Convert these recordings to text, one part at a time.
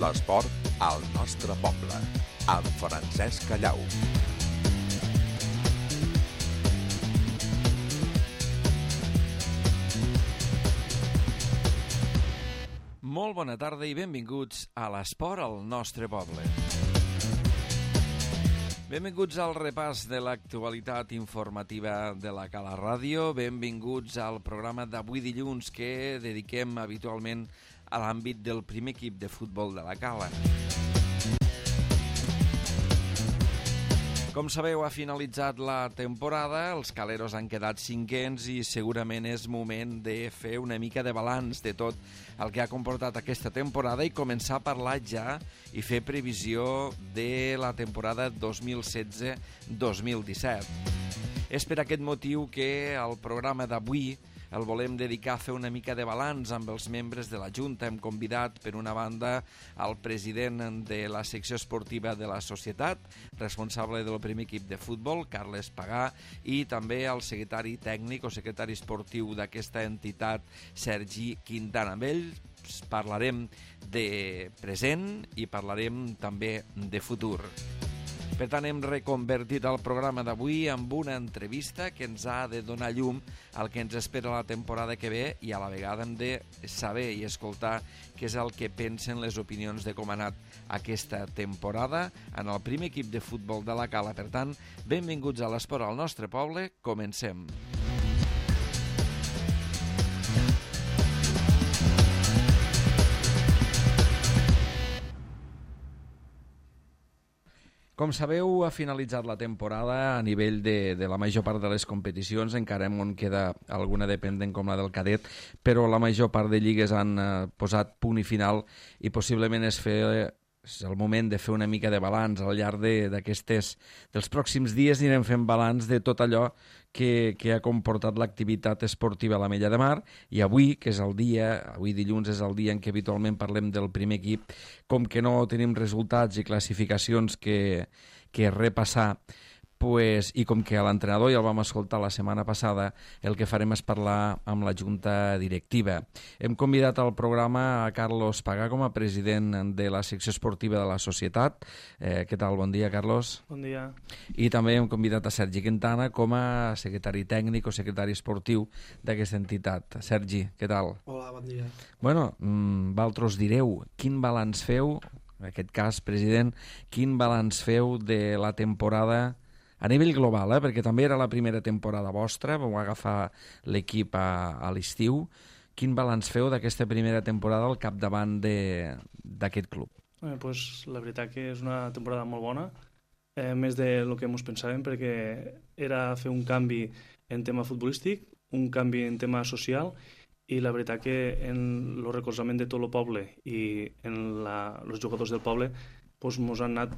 L'esport al nostre poble, amb Francesc Callau. Molt bona tarda i benvinguts a l'esport al nostre poble. Benvinguts al repàs de l'actualitat informativa de la Cala Ràdio. Benvinguts al programa d'avui dilluns que dediquem habitualment a l'àmbit del primer equip de futbol de la Cala. Com sabeu, ha finalitzat la temporada, els caleros han quedat cinquens i segurament és moment de fer una mica de balanç de tot el que ha comportat aquesta temporada i començar a parlar ja i fer previsió de la temporada 2016-2017. És per aquest motiu que el programa d'avui el volem dedicar a fer una mica de balanç amb els membres de la Junta. Hem convidat, per una banda, el president de la secció esportiva de la societat, responsable del primer equip de futbol, Carles Pagà, i també el secretari tècnic o secretari esportiu d'aquesta entitat, Sergi Quintana. Amb ell parlarem de present i parlarem també de futur. Per tant, hem reconvertit el programa d'avui amb una entrevista que ens ha de donar llum al que ens espera la temporada que ve i a la vegada hem de saber i escoltar què és el que pensen les opinions de com ha anat aquesta temporada en el primer equip de futbol de la Cala. Per tant, benvinguts a l'esport al nostre poble. Comencem. Com sabeu, ha finalitzat la temporada a nivell de la major part de les competicions. Encara en queda alguna dependent com la del cadet, però la major part de lligues han posat punt i final i possiblement és el moment de fer una mica de balanç. Al llarg dels pròxims dies anirem fent balanç de tot allò que ha comportat l'activitat esportiva a l'Ametlla de Mar, i avui, que és avui dilluns és el dia en què habitualment parlem del primer equip, com que no tenim resultats i classificacions que repassar, i com que a l'entrenador ja el vam escoltar la setmana passada, el que farem és parlar amb la Junta Directiva. Hem convidat al programa a Carlos Pagà com a president de la secció esportiva de la societat. Què tal? Bon dia, Carlos. Bon dia. I també hem convidat a Sergi Quintana com a secretari tècnic o secretari esportiu d'aquesta entitat. Sergi, què tal? Hola, bon dia. Bueno, vosaltres direu, quin balanç feu, en aquest cas, president, quin balanç feu de la temporada a nivell global, perquè també era la primera temporada vostra, vau agafar l'equip a l'estiu. Quin balanç feu d'aquesta primera temporada al capdavant d'aquest club? Pues, la veritat que és una temporada molt bona, més del que ens pensàvem, perquè era fer un canvi en tema futbolístic, un canvi en tema social, i la veritat que en el recolzament de tot el poble i en els jugadors del poble pues ens han anat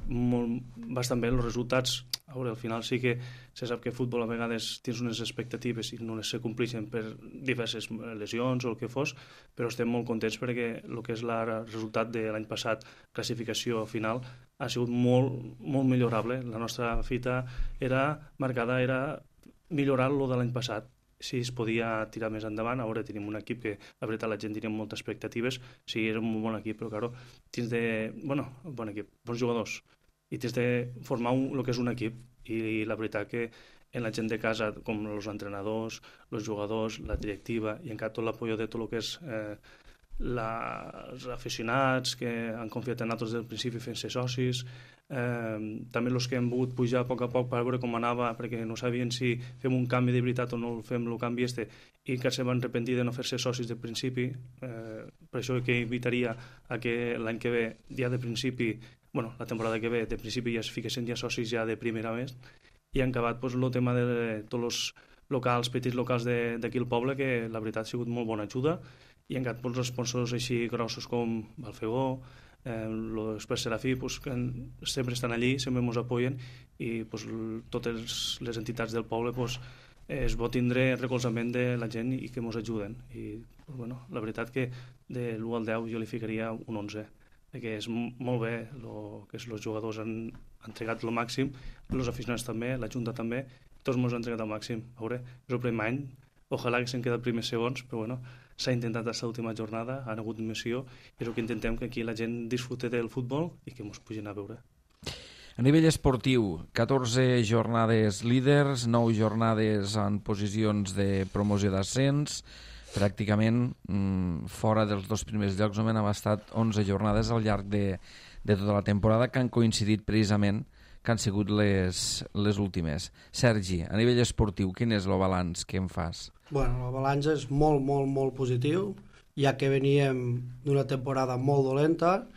bastant bé els resultats. A veure, al final sí que se sap que futbol a vegades tens unes expectatives i no les se compleixen per diverses lesions o el que fos, però estem molt contents perquè el que és el resultat de l'any passat, classificació final, ha sigut molt, molt millorable. La nostra fita era millorar lo de l'any passat. Si es podia tirar més endavant. Ara tenim un equip que la veritat la gent tenia moltes expectatives. Sí, era un molt bon equip, però claro, tens de... bon equip, bons jugadors, i tens de formar el que és un equip, i la veritat que en la gent de casa, com els entrenadors, els jugadors, la directiva, i encara tot l'apoyo de tot el que és els aficionats que han confiat en nosaltres des del principi fent-se socis, també els que hem volgut pujar a poc per veure com anava, perquè no sabien si fem un canvi de veritat o no fem el canvi i que se van arrepentir de no fer-se socis de principi. Per això que invitaria a que l'any que ve, ja de principi, la temporada que ve, de principi ja es fiquessin ja socis ja de primera més, i han acabat el tema de tots els petits locals d'aquí al poble, que la veritat ha sigut molt bona ajuda, i han quedat els sponsors així grossos com Balfegó, l'Express Serafí, que sempre estan allí, sempre ens apoyen, i totes les entitats del poble es pot tindre recolzament de la gent i que ens ajuden. I la veritat que de l'1 al 10 jo li ficaria un 11, perquè és molt bé el que els jugadors han entregat el màxim, els aficionats també, la Junta també, tots ens han entregat el màxim. A veure, és el primer any, ojalà que s'han quedat primers segons, però bueno, s'ha intentat aquesta última jornada, han hagut missió, i és el que intentem, que aquí la gent disfrute del futbol i que ens pugin a veure. A nivell esportiu, 14 jornades líders, 9 jornades en posicions de promoció d'ascens, pràcticament fora dels 2 primers llocs només han estat 11 jornades al llarg de tota la temporada, que han coincidit precisament que han sigut les últimes. Sergi, a nivell esportiu, quin és el balanç que em fas? Bueno, el balanç és molt, molt, molt positiu, ja que veníem d'una temporada molt dolenta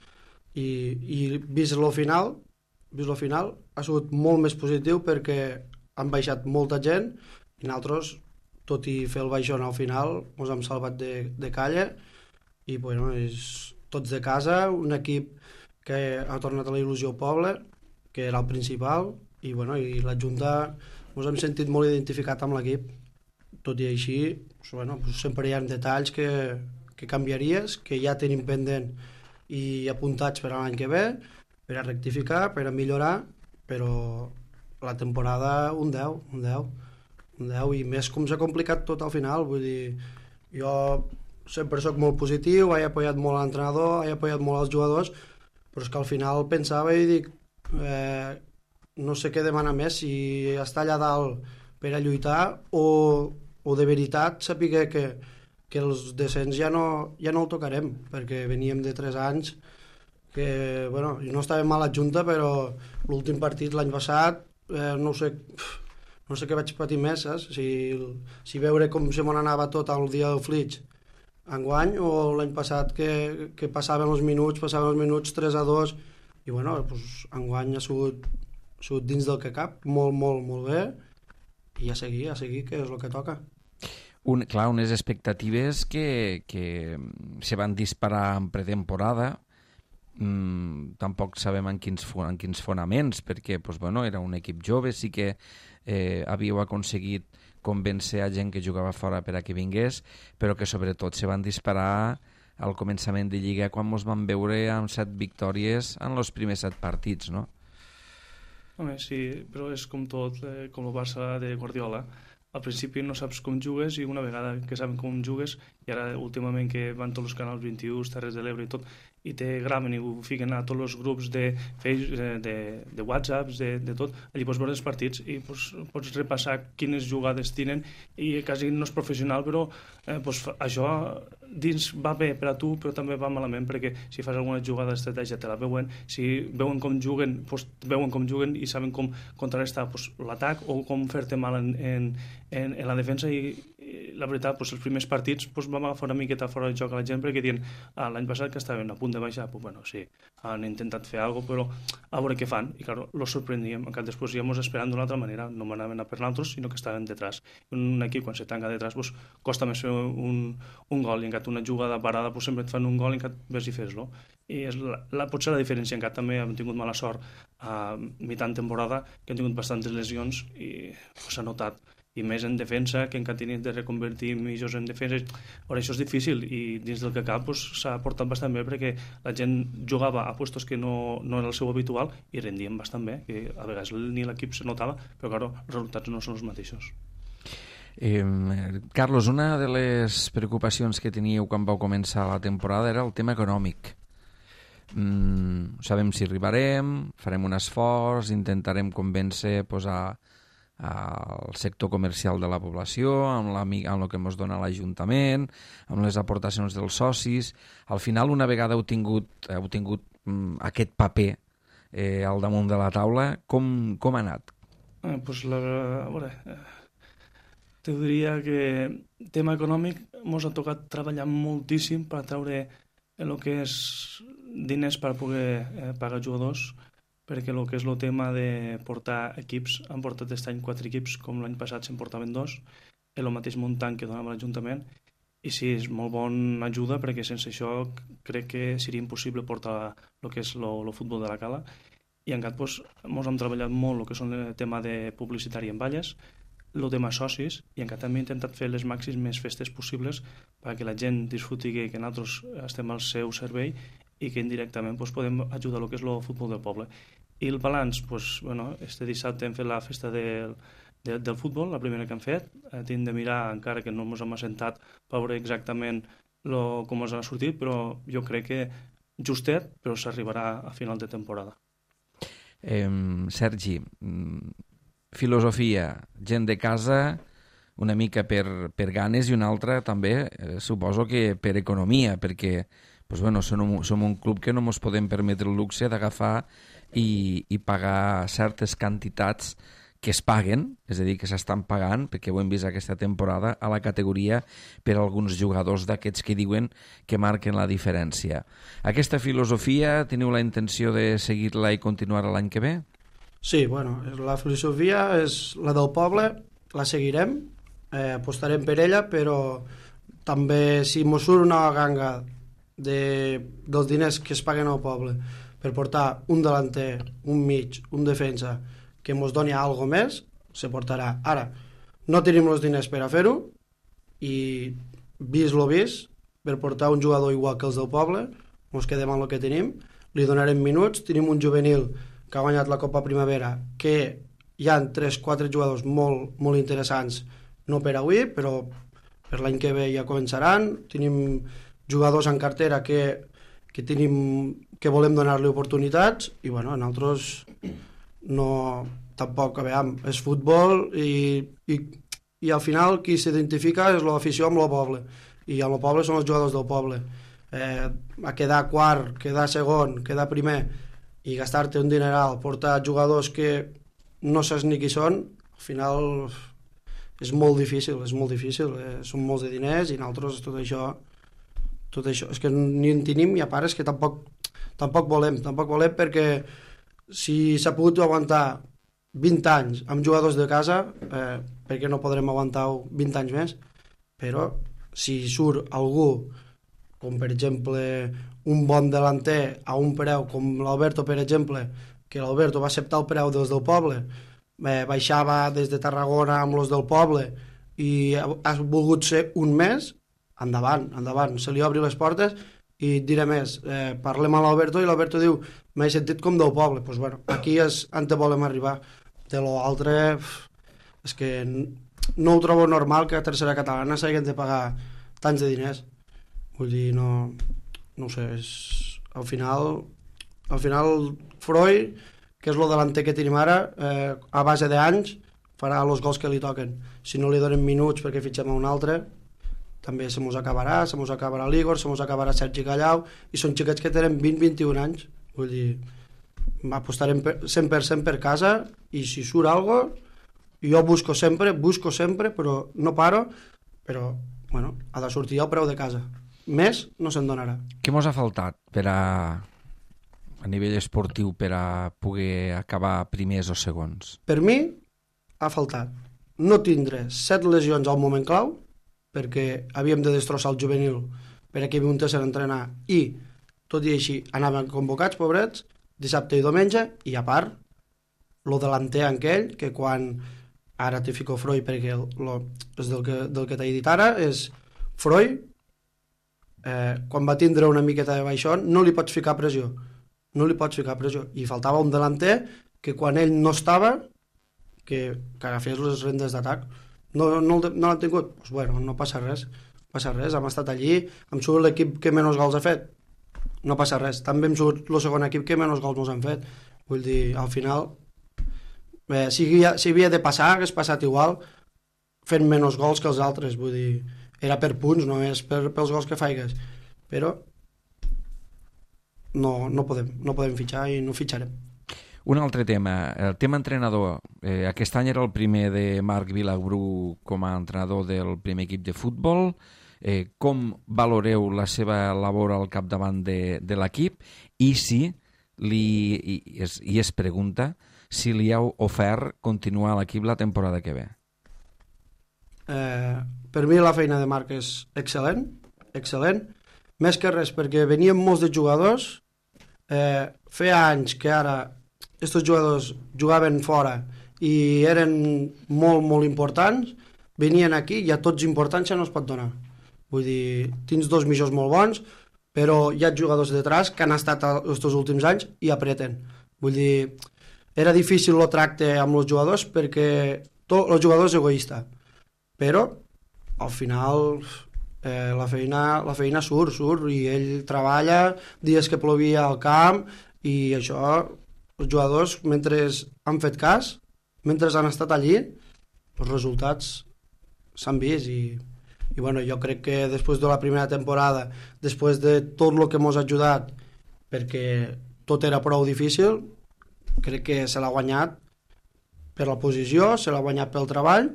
i vist el final ha sigut molt més positiu perquè han baixat molta gent i nosaltres, tot i fer el baixón al final, ens hem salvat de calla i bueno, és tots de casa, un equip que ha tornat a la il·lusió al poble, que era el principal, i bueno, i la Junta ens hem sentit molt identificat amb l'equip. Tot i així, bueno, sempre hi ha detalls que canviaries, que ja tenim pendent i apuntats per a l'any que ve, per a rectificar, per a millorar, però la temporada un 10, i més com s'ha complicat tot al final. Vull dir, jo sempre sóc molt positiu, he apoyat molt l'entrenador, he apoyat molt els jugadors, però és que al final pensava i dic, no sé què demanar més, si està allà dalt per a lluitar o de veritat saber que els descens ja no el tocarem, perquè veníem de 3 anys que, bueno, no estava mal a Junta, però l'últim partit l'any passat no sé què vaig patir més, saps? Si veure com se m'anava tot el dia del Flix enguany, o l'any passat que passaven els minuts 3-2, i bueno, doncs, enguany ha sigut dins del que cap, molt, molt, molt bé, i a seguir, que és el que toca. Unes expectatives que se van disparar en pretemporada, tampoc sabem en quins fonaments, perquè era un equip jove, sí que havíeu aconseguit convèncer a gent que jugava fora per a que vingués, però que sobretot se van disparar al començament de Lliga, quan ens vam veure amb 7 victòries en els primers 7 partits, no? Home, sí, però és com tot, com el Barça de Guardiola. Al principi no saps com jugues, i una vegada que saben com jugues, i ara últimament que van tots els canals 21, Terres de l'Ebre i tot, i te graven i ho fiquen a tots els grups de Facebook, de WhatsApps, de tot, allí pots veure els partits i pots repassar quines jugades tenen, i quasi no és professional, però això dins va bé per a tu, però també va malament, perquè si fas alguna jugada d'estratègia te la veuen, si veuen com juguen i saben com contrarrestar l'atac o com fer-te mal en la defensa, i la veritat, els primers partits vam agafar una miqueta fora de joc a la gent, perquè diuen, l'any passat que estaven a punt de baixar, bueno, sí, han intentat fer alguna cosa, però a veure què fan, i clar, los sorprendíem, encara després íamos esperant d'una altra manera, no m'anaven a per nosaltres, sinó que estaven detrás. Un equip, quan se tanca detrás, costa més fer un gol, i encara una jugada parada, sempre et fan un gol i encara ves i fes-lo. I potser la diferència, encara també hem tingut mala sort a mitjan temporada, que hem tingut bastantes lesions i s'ha notat, i més en defensa, que encara tenim de reconvertir millors en defensa. Ara, això és difícil, i dins del que cap s'ha portat bastant bé, perquè la gent jugava a puestos que no era el seu habitual i rendien bastant bé, que a vegades ni l'equip se notava, però clar, els resultats no són els mateixos. Carlos, una de les preocupacions que teníeu quan vau començar la temporada era el tema econòmic. Sabem si arribarem, farem un esforç, intentarem convèncer al sector comercial de la població, amb el que ens dona l'Ajuntament, amb les aportacions dels socis. Al final, una vegada heu tingut aquest paper al damunt de la taula, com ha anat? A veure, te diria que tema econòmic ens ha tocat treballar moltíssim per treure el que és diners per poder pagar jugadors, perquè el que és el tema de portar equips, han portat aquest any 4 equips, com l'any passat se'n portaven 2, el mateix muntant que donava l'Ajuntament, i sí, és molt bona ajuda, perquè sense això crec que seria impossible portar el que és el futbol de la Cala, i encara ens hem treballat molt el que són el tema de publicitari en valles, el tema socis, i encara també he intentat fer les màximes festes possibles perquè la gent disfruti que nosaltres estem al seu servei i que indirectament podem ajudar el que és el futbol del poble. I el balanç, este dissabte hem fet la festa del del futbol, la primera que hem fet. Hem de mirar, encara que no ens hem assentat, per veure exactament com ens ha sortit, però jo crec que justet, però s'arribarà a final de temporada. Sergi, filosofia, gent de casa, una mica per ganes i una altra també, suposo que per economia, perquè som un club que no ens podem permetre el luxe d'agafar i pagar certes quantitats que es paguen, és a dir, que s'estan pagant, perquè ho hem vist aquesta temporada, a la categoria per a alguns jugadors d'aquests que diuen que marquen la diferència. Aquesta filosofia, teniu la intenció de seguir-la i continuar l'any que ve? Sí, bueno, la filosofia és la del poble, la seguirem, apostarem per ella, però també si mos surt una ganga dels diners que es paguen al poble per portar un delanter, un mig, un defensa, que ens doni algo més, se portarà. Ara, no tenim els diners per a fer-ho i vist lo vist, per portar un jugador igual que els del poble, ens quedem amb el que tenim, li donarem minuts, tenim un juvenil que ha guanyat la Copa Primavera, que hi ha 3-4 jugadors molt, molt interessants, no per avui, però per l'any que ve ja començaran, tenim jugadors en cartera que volem donar-li oportunitats i bueno, nosaltres no, tampoc, a veure, és futbol i al final qui s'identifica és l'afició amb el poble i amb el poble són els jugadors del poble. A quedar quart, quedar segon, quedar primer i gastar-te un dineral, portar jugadors que no saps ni qui són, al final és molt difícil, són molts de diners i nosaltres tot això és que ni en tenim i a part és que tampoc volem perquè si s'ha pogut aguantar 20 anys amb jugadors de casa, perquè no podrem aguantar 20 anys més, però si surt algú, com per exemple un bon delanter a un preu, com l'Alberto per exemple, que l'Alberto va acceptar el preu dels del poble, baixava des de Tarragona amb els del poble i ha volgut ser un mes, endavant, se li obri les portes i et diré més, parlem amb l'Alberto i l'Alberto diu, m'he sentit com del poble, doncs bueno, aquí és on volem arribar, de l'altre és que no ho trobo normal que a tercera catalana s'hagin de pagar tants de diners, vull dir, no ho sé, al final Freud, que és el delanter que tenim ara, a base d'anys farà els gols que li toquen, si no li donen minuts perquè fitxem a un altre també se mos acabarà l'Igor, se mos acabarà Sergi Callau i són xiquets que tenen 20-21 anys, vull dir, apostarem 100% per casa i si surt algo jo busco sempre però no paro, però bueno, ha de sortir el preu de casa, més no se'n donarà. Què mos ha faltat a nivell esportiu per a poder acabar primers o segons? Per mi ha faltat no tindre 7 lesions al moment clau, perquè havíem de destrossar el juvenil per aquí muntessin a entrenar i tot i així anaven convocats, pobrets, dissabte i diumenge, i a part lo delanter aquell que quan ara te fico Freud perquè és del que t'he dit ara, és Freud quan va tindre una miqueta de baixón no li pots ficar pressió i faltava un delanter que quan ell no estava que agafés les rendes d'atac. No l'han tingut? Pues bueno, no passa res, hem estat allí, hem sigut l'equip que menys gols ha fet, no passa res, també hem sigut el segon equip que menys gols ens han fet, vull dir, al final si havia de passar, hagués passat igual fent menys gols que els altres, vull dir, era per punts, no és pels gols que faigues, però no podem fitxar i no fitxarem. Un altre tema, el tema entrenador. Aquest any era el primer de Marc Vilagrú com a entrenador del primer equip de futbol. Com valoreu la seva labor al capdavant de l'equip i si es pregunta si li heu ofert continuar a l'equip la temporada que ve? Per mi la feina de Marc és excel·lent, més que res perquè venien molts de jugadors, feia anys que ara aquests jugadors jugaven fora i eren molt, molt importants, venien aquí i a tots importància no es pot donar. Vull dir, tens 2 mitjos molt bons, però hi ha jugadors detrás que han estat els últims anys i apreten. Vull dir, era difícil el tracte amb els jugadors perquè tot el jugador és egoista, però al final la feina surt i ell treballa dies que plovia al camp i això, els jugadors mentre han fet cas, mentre han estat allí, els resultats s'han vist i bueno, jo crec que després de la primera temporada, després de tot el que ens ha ajudat, perquè tot era prou difícil, crec que se l'ha guanyat per la posició, se l'ha guanyat pel treball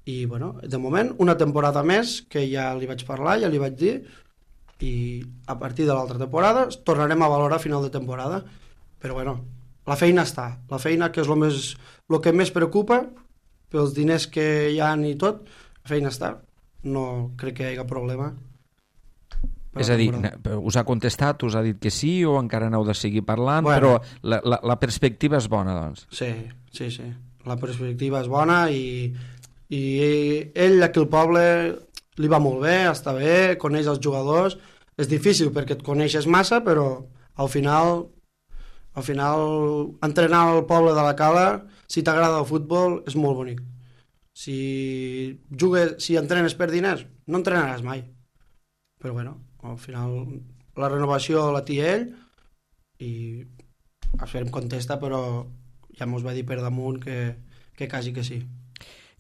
i bueno, de moment una temporada més que ja li vaig parlar, ja li vaig dir i a partir de l'altra temporada tornarem a valorar a final de temporada, però bueno, la feina està, la feina que és el que més preocupa pels diners que hi ha i tot, la feina està, no crec que hi hagi problema. És a dir, us ha contestat, us ha dit que sí o encara n'heu de seguir parlant, bueno, però la perspectiva és bona, doncs. Sí, la perspectiva és bona i ell aquí al poble li va molt bé, està bé, coneix els jugadors, és difícil perquè et coneixes massa, però al final entrenar al poble de la Cala, si t'agrada el futbol, és molt bonic. Si entrenes per diners, no entrenaràs mai. Però bueno, al final la renovació la té ell i esperem contesta, però ja mos va dir per damunt que quasi que sí.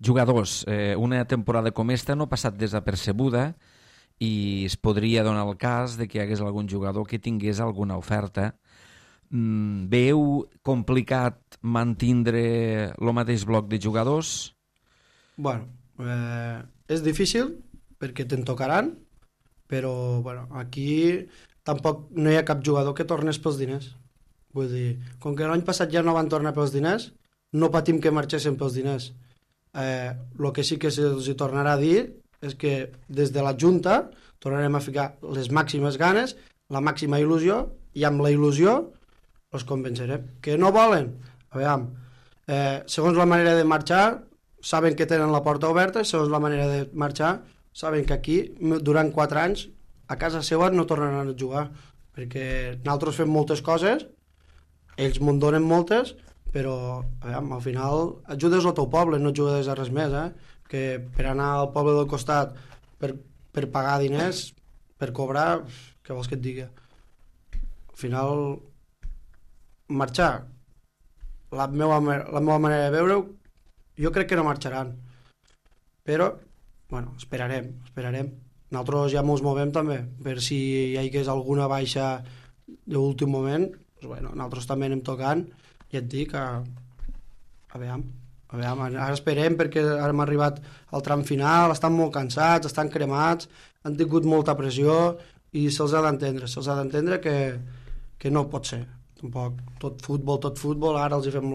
Jugadors, una temporada com esta no ha passat desapercebuda i es podria donar el cas de que hi hagués algun jugador que tingués alguna oferta. Veieu complicat mantindre el mateix bloc de jugadors? Bueno, és difícil perquè te'n tocaran, però bueno, aquí tampoc no hi ha cap jugador que tornés pels diners. Vull dir, com que l'any passat ja no van tornar pels diners, no patim que marxessin pels diners. El que sí que se'ls tornarà a dir és que des de la Junta tornarem a ficar les màximes ganes, la màxima il·lusió, i amb la il·lusió els convencerem. Que no volen? Aviam, segons la manera de marxar, saben que tenen la porta oberta, segons la manera de marxar, saben que aquí, durant 4 anys, a casa seva no tornaran a jugar, perquè nosaltres fem moltes coses, ells me'n donen moltes, però aviam, al final ajudes al teu poble, no ajudes a res més, que per anar al poble del costat per pagar diners, per cobrar, què vols que et digui? Al final, marxar, la meva manera de veure-ho, jo crec que no marxaran, però bueno, esperarem. Nosaltres ja ens movem també, per si hi hagués alguna baixa d'últim moment, doncs, bueno, nosaltres també anem tocant, i et dic que aviam, ara esperem perquè ara hem arribat al tram final, estan molt cansats, estan cremats, han tingut molta pressió i se'ls ha d'entendre que no pot ser tampoc tot futbol, ara els hi fem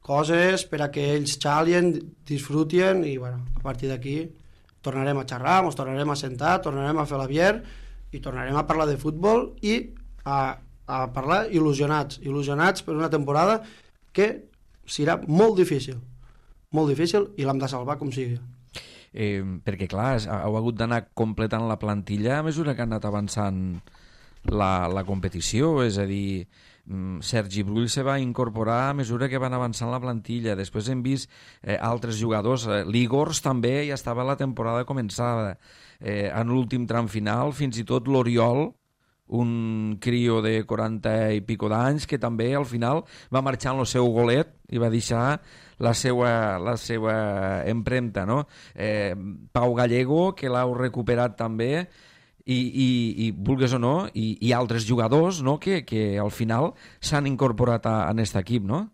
coses per a que ells xalien, disfrutien i bueno, a partir d'aquí tornarem a xerrar, ens tornarem a sentar, tornarem a fer la bier i tornarem a parlar de futbol i a parlar il·lusionats per una temporada que serà molt difícil i l'hem de salvar com sigui. Perquè clar, heu hagut d'anar completant la plantilla a mesura que ha anat avançant la competició, és a dir, Sergi Brull se va incorporar a mesura que van avançant la plantilla, després hem vist altres jugadors, l'Igors també ja estava la temporada començada, en l'últim tram final fins i tot l'Oriol, un crio de 40 i pico d'anys que també al final va marxar en el seu golet i va deixar la seva empremta, no? Pau Gallego, que l'heu recuperat també, i vulgues o no, i altres jugadors, no? que al final s'han incorporat a aquest equip, no?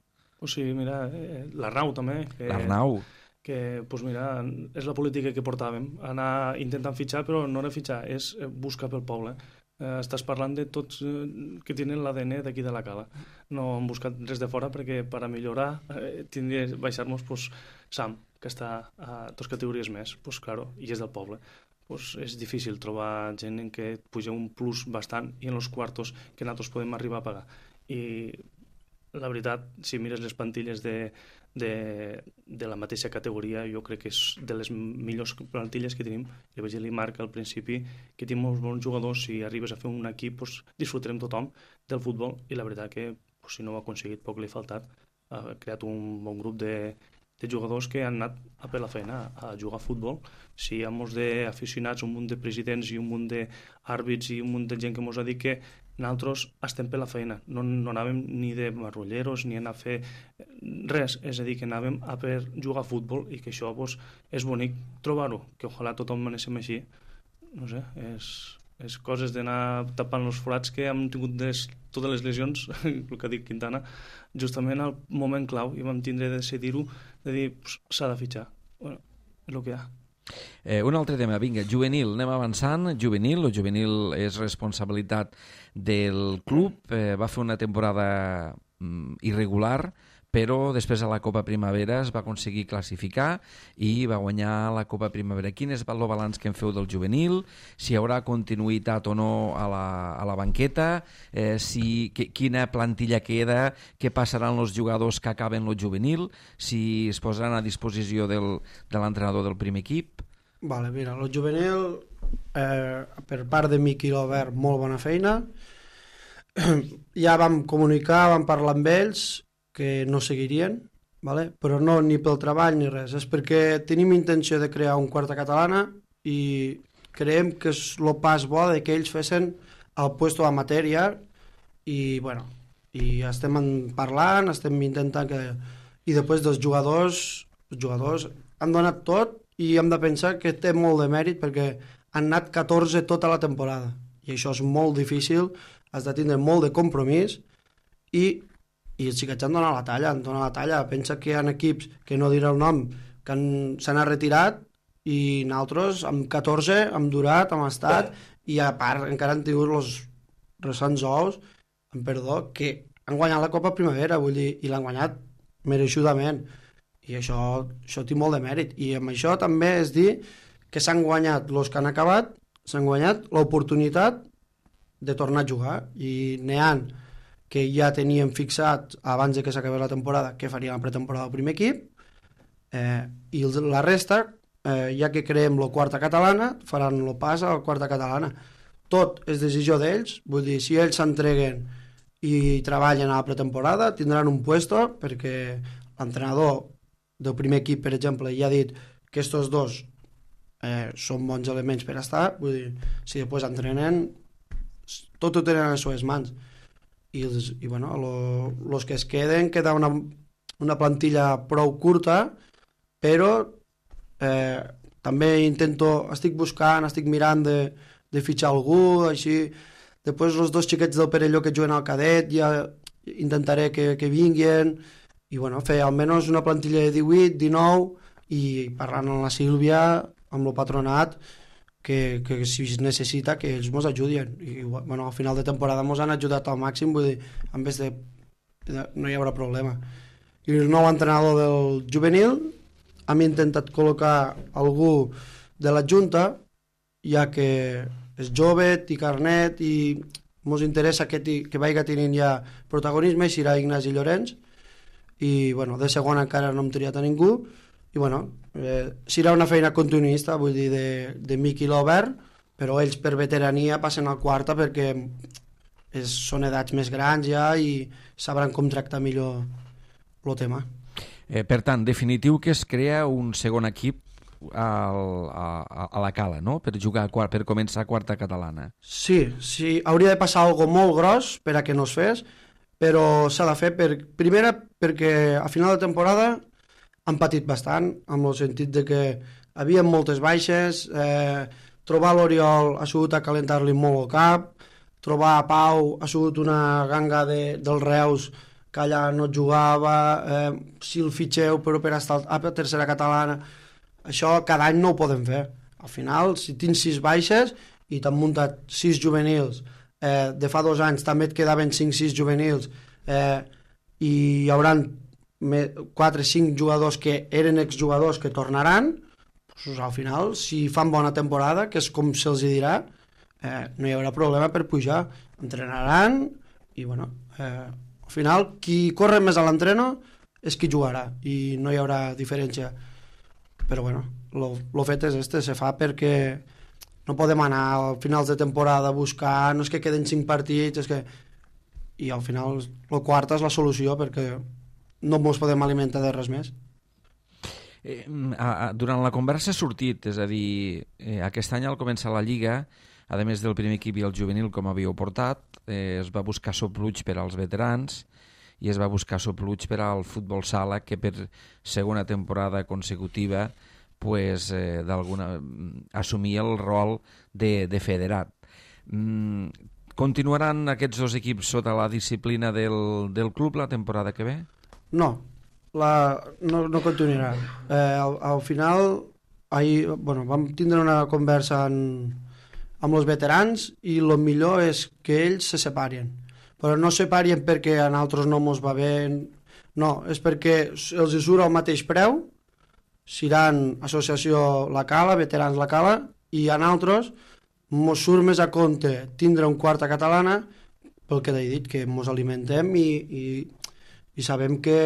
Pues sí, mira, l'Arnau també. L'Arnau. Que, pues mira, és la política que portàvem, anar intentant fitxar, però no era fitxar, és buscar pel poble. Estàs parlant de tots que tenen l'ADN d'aquí de la Cala. No hem buscat res de fora perquè per a millorar tindria de baixar-nos Sam, que està a 2 categories més, claro, i és del poble. És difícil trobar gent en què et puja un plus bastant i en els quartos que nosaltres podem arribar a pagar. I la veritat, si mires les plantilles de la mateixa categoria, jo crec que és de les millors plantilles que tenim. Li vaig dir a Marc al principi que tenim molts bons jugadors, si arribes a fer un equip disfrutarem tothom del futbol, i la veritat que si no ho ha aconseguit poc li ha faltat, ha creat un bon grup de de jugadors que han anat a per la feina a jugar a futbol. Si hi ha molts d'aficionats, un munt de presidents i un munt d'àrbits i un munt de gent que ens ha dit que nosaltres estem per la feina, no anàvem ni de marrulleros ni anar a fer res, és a dir, que anàvem a per jugar a futbol i que això pues, és bonic trobar-ho, que ojalà tothom anéssim així. No sé, és coses d'anar tapant els forats que hem tingut totes les lesions, el que ha dit Quintana, justament al moment clau i vam tindre de decidir-ho, de dir, s'ha de fitxar. Bueno, és el que hi ha. Un altre tema, vinga, juvenil, anem avançant. Juvenil és responsabilitat del club, va fer una temporada irregular, però després a la Copa Primavera es va aconseguir classificar i va guanyar la Copa Primavera. Quin és el balanç que en feu del juvenil? Si hi haurà continuïtat o no a la banqueta? Quina plantilla queda? Què passaran els jugadors que acaben el juvenil? Si es posaran a disposició de l'entrenador del primer equip? Vale, mira, el juvenil, per part de Miqui Lobert, molt bona feina. Ja vam comunicar, vam parlar amb ells, que no seguirien, vale? Però no ni pel treball ni res, és perquè tenim intenció de crear un quarta catalana i creiem que és el pas bo de que ells fessin el puesto amateur ja i, bueno, i estem parlant, estem intentant que... I després dels jugadors, els jugadors han donat tot i hem de pensar que té molt de mèrit perquè han anat 14 tota la temporada i això és molt difícil, has de tindre molt de compromís i els xiquets han donat la talla, pensa que hi ha equips que no diré el nom que s'han retirat i nosaltres amb 14 hem durat, hem estat i a part encara han tingut els recents ous, amb perdó, que han guanyat la Copa Primavera, vull dir, i l'han guanyat mereixudament i això té molt de mèrit i amb això també és dir que s'han guanyat els que han acabat, s'han guanyat l'oportunitat de tornar a jugar i n'hi ha que ja teníem fixat abans de que s'acabés la temporada que faria la pretemporada del primer equip i la resta ja que creem la quarta catalana faran el pas a la quarta catalana. Tot és decisió d'ells, vull dir, si ells s'entreguen i treballen a la pretemporada tindran un puesto perquè l'entrenador del primer equip, per exemple, ja ha dit que estos dos són bons elements per estar, vull dir, si després entrenen tot ho tenen a les seves mans i bueno, els que es queda una plantilla prou curta però també estic buscant, estic mirant de fitxar algú així, després els dos xiquets del Perelló que juguen al cadet ja intentaré que vinguin i bueno, fer almenys una plantilla de 18, 19 i parlant amb la Sílvia amb el patronat que si es necessita que ells ens ajudin i bueno, al final de temporada ens han ajudat al màxim, vull dir, en vez de no hi haurà problema. I el nou entrenador del juvenil hem intentat col·locar algú de la Junta ja que és jove, té carnet i ens interessa que vagi tenint ja protagonisme i serà Ignasi Llorenç i bueno, de segon encara no hem triat a ningú i bueno, serà una feina continuista, vull dir, de Miqui Lobert, però ells per veterania passen al quarta perquè són edats més grans ja i sabran com tractar millor el tema. Per tant, definitiu que es crea un segon equip a la Cala, no? Per jugar, per començar quarta catalana. Sí, hauria de passar algo molt gros per a que no es fes, però s'ha de fer primera perquè a final de temporada han patit bastant, amb el sentit de que havia moltes baixes, trobar l'Oriol ha sigut a calentar-li molt el cap, trobar a Pau ha sigut una ganga dels Reus que allà no jugava, si el fitxeu però per estar a tercera catalana, això cada any no ho podem fer. Al final, si tens 6 baixes i t'han muntat 6 juvenils, de fa 2 anys també et quedaven 5-6 juvenils i hi haurà 4-5 jugadors que eren exjugadors que tornaran, doncs al final, si fan bona temporada, que és com se'ls dirà, no hi haurà problema per pujar. Entrenaran i, bueno, al final, qui corre més a l'entreno és qui jugarà i no hi haurà diferència. Però, bueno, el fet és se fa perquè no podem anar a finals de temporada a buscar, no és que queden 5 partits, és que... I al final el quart és la solució perquè no ens podem alimentar de res més. Durant la conversa ha sortit, és a dir, aquest any al començar la Lliga, a més del primer equip i el juvenil, com havíeu portat, es va buscar sopluig per als veterans i es va buscar sopluig per al futbol sala, que per segona temporada consecutiva pues, assumia el rol de federat. Continuaran aquests dos equips sota la disciplina del club la temporada que ve? No, no continuarà. Al final vam tindre una conversa amb els veterans i el millor és que ells se separien, però no separien perquè a nosaltres no mos va bé, no, és perquè els surt al mateix preu, seran associació La Cala, veterans La Cala, i a nosaltres mos surt més a compte tindre un quart a catalana, pel que t'he dit, que mos alimentem i sabem que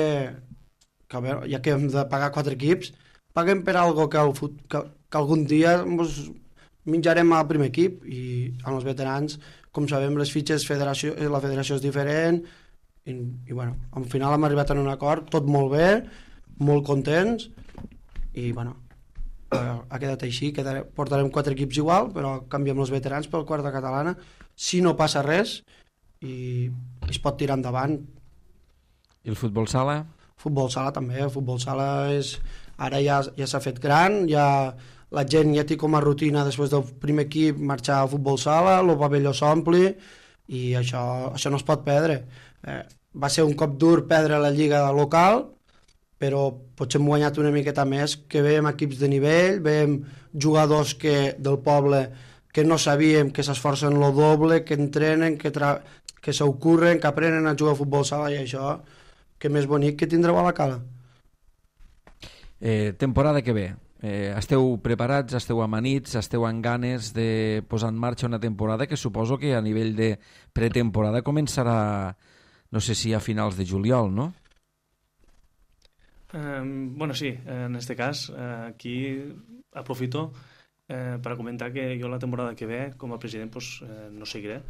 a veure, ja que hem de pagar 4 equips, paguem per algo que algun dia mos menjarem al primer equip, i amb els veterans, com sabem, les fitxes la federació és diferent, i bueno, al final hem arribat a un acord, tot molt bé, molt contents, i bueno, ha quedat així, portarem 4 equips igual, però canviem els veterans pel quart de catalana, si no passa res, i es pot tirar endavant. I el futbol sala? Futbol sala també, el futbol sala ara ja s'ha fet gran, la gent ja té com a rutina després del primer equip marxar al futbol sala, el pavelló s'ompli, i això no es pot perdre. Va ser un cop dur perdre la lliga local, però potser hem guanyat una miqueta més, que veiem equips de nivell, veiem jugadors del poble que no sabíem, que s'esforcen lo doble, que entrenen, que s'ocurren, que aprenen a jugar a futbol sala, i això, que més bonic que tindreu a La Cala. Temporada que ve, esteu preparats, esteu amanits, esteu amb ganes de posar en marxa una temporada que suposo que a nivell de pretemporada començarà, no sé si a finals de juliol, no? Bueno, sí, en este cas aquí aprofito para comentar que jo la temporada que ve com a president pues, no seguiré.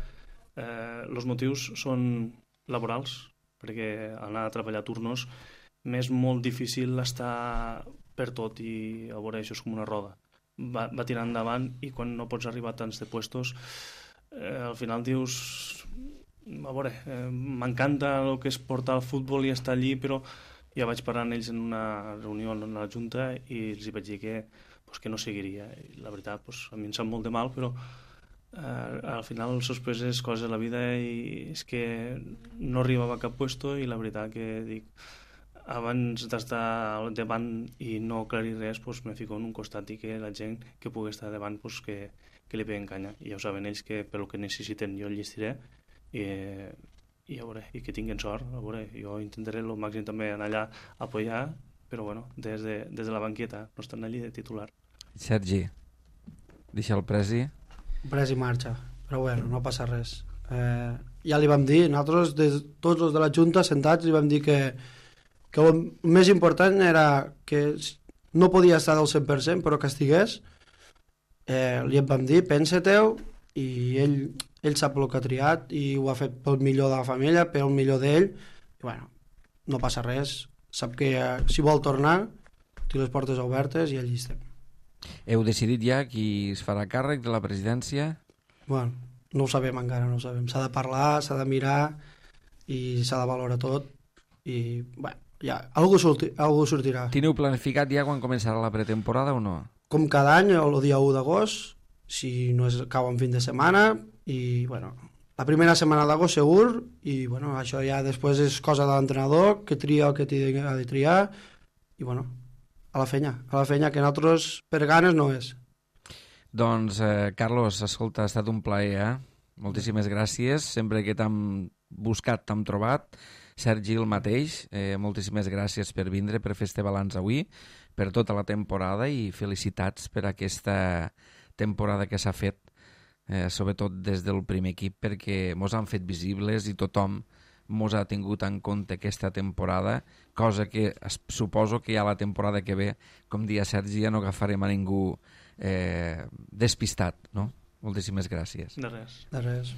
Els motius són laborals, perquè anar a treballar turnos m'és molt difícil estar per tot, i a veure, això és com una roda, va tirant endavant, i quan no pots arribar a tants de puestos al final dius a veure, m'encanta el que és portar el futbol i estar allí, però ja vaig parar amb ells en una reunió en la Junta i els vaig dir que no seguiria. I la veritat, a mi em sap molt de mal, però al final sorpreses coses de la vida, i és que no arribava a cap puesto, i la veritat que dic, abans d'estar al davant i no aclarir res, me fico en un costat, i que la gent que pugui estar davant que li peguen canya, i ja ho saben ells que pel que necessiten jo el llistiré, i a veure, i que tinguin sort. A veure, jo intentaré el màxim també anar allà a apoyar, però bueno, des de la banqueta, no estan allí de titular. Sergi, deixa el Presi. El Presi marxa, però bueno, no passa res. Ja li vam dir, nosaltres, tots els de la Junta sentats, li vam dir que el més important era que no podia estar del 100%, però que estigués. Li vam dir, pensa-te'l, i ell sap el que ha triat, i ho ha fet pel millor de la família, pel millor d'ell, i bueno, no passa res, sap que si vol tornar té les portes obertes i allí estem. Heu decidit ja qui es farà càrrec de la presidència? Bueno, no ho sabem encara, no ho sabem, s'ha de parlar, s'ha de mirar i s'ha de valorar tot, i bueno, ja, algú sortirà. Tineu planificat ja quan començarà la pretemporada o no? Com cada any, el dia 1 d'agost, si no cau en fin de setmana, i bueno, la primera setmana d'agost segur, i bueno, això ja després és cosa de l'entrenador, que tria el que ha de triar, i bueno, a la fenya, que nosaltres per ganes no és. Doncs, Carlos, escolta, ha estat un plaer, moltíssimes gràcies, sempre que t'hem buscat t'hem trobat. Sergi, el mateix, moltíssimes gràcies per vindre, per fer este balanç avui, per tota la temporada, i felicitats per aquesta temporada que s'ha fet, sobretot des del primer equip, perquè mos han fet visibles i tothom mos ha tingut en compte aquesta temporada, cosa que suposo que ja la temporada que ve, com dia Sergi, ja no agafarem a ningú despistat, no? Moltíssimes gràcies. De res. De res.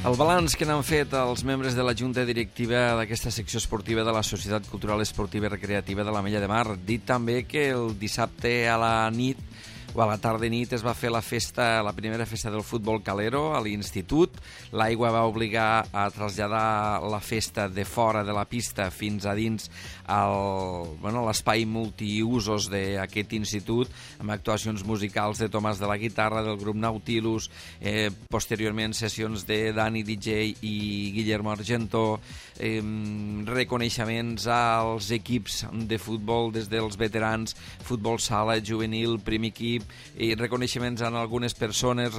El balanç que n'han fet els membres de la Junta Directiva d'aquesta secció esportiva de la Societat Cultural Esportiva i Recreativa de l'Ametlla de Mar. Dit també que el dissabte a la nit o a la tarda nit es va fer la primera festa del futbol calero a l'institut. L'aigua va obligar a traslladar la festa de fora de la pista fins a dins l'espai multiusos d'aquest institut, amb actuacions musicals de Tomàs de la guitarra, del grup Nautilus, posteriorment sessions de Dani DJ i Guillermo Argento, reconeixements als equips de futbol des dels veterans, futbol sala, juvenil, primer equip, i reconeixements a algunes persones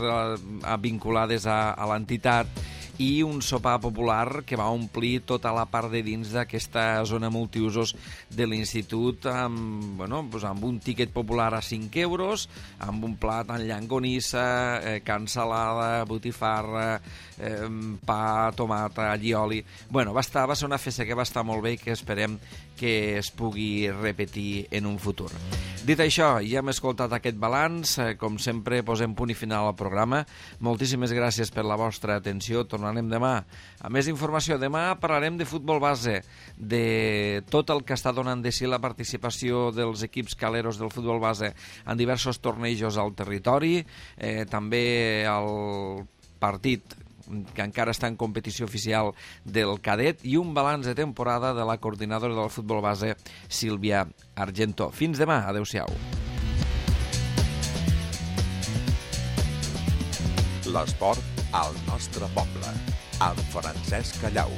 vinculades a l'entitat, i un sopar popular que va omplir tota la part de dins d'aquesta zona multiusos de l'institut amb un tiquet popular a 5 euros, amb un plat en llangonissa, cansalada, botifarra, pa, tomata, allioli. Va ser una festa que va estar molt bé i que esperem que es pugui repetir en un futur. Dit això, ja hem escoltat aquest balanç. Com sempre, posem punt i final al programa. Moltíssimes gràcies per la vostra atenció. Tornarem demà. A més informació, demà parlarem de futbol base, de tot el que està donant de si la participació dels equips caleros del futbol base en diversos tornejos al territori, també el partit que encara està en competició oficial del cadet, i un balanç de temporada de la coordinadora del futbol base, Sílvia Argento. Fins demà, adeu-siau. L'esport al nostre poble, amb Francesc Callau.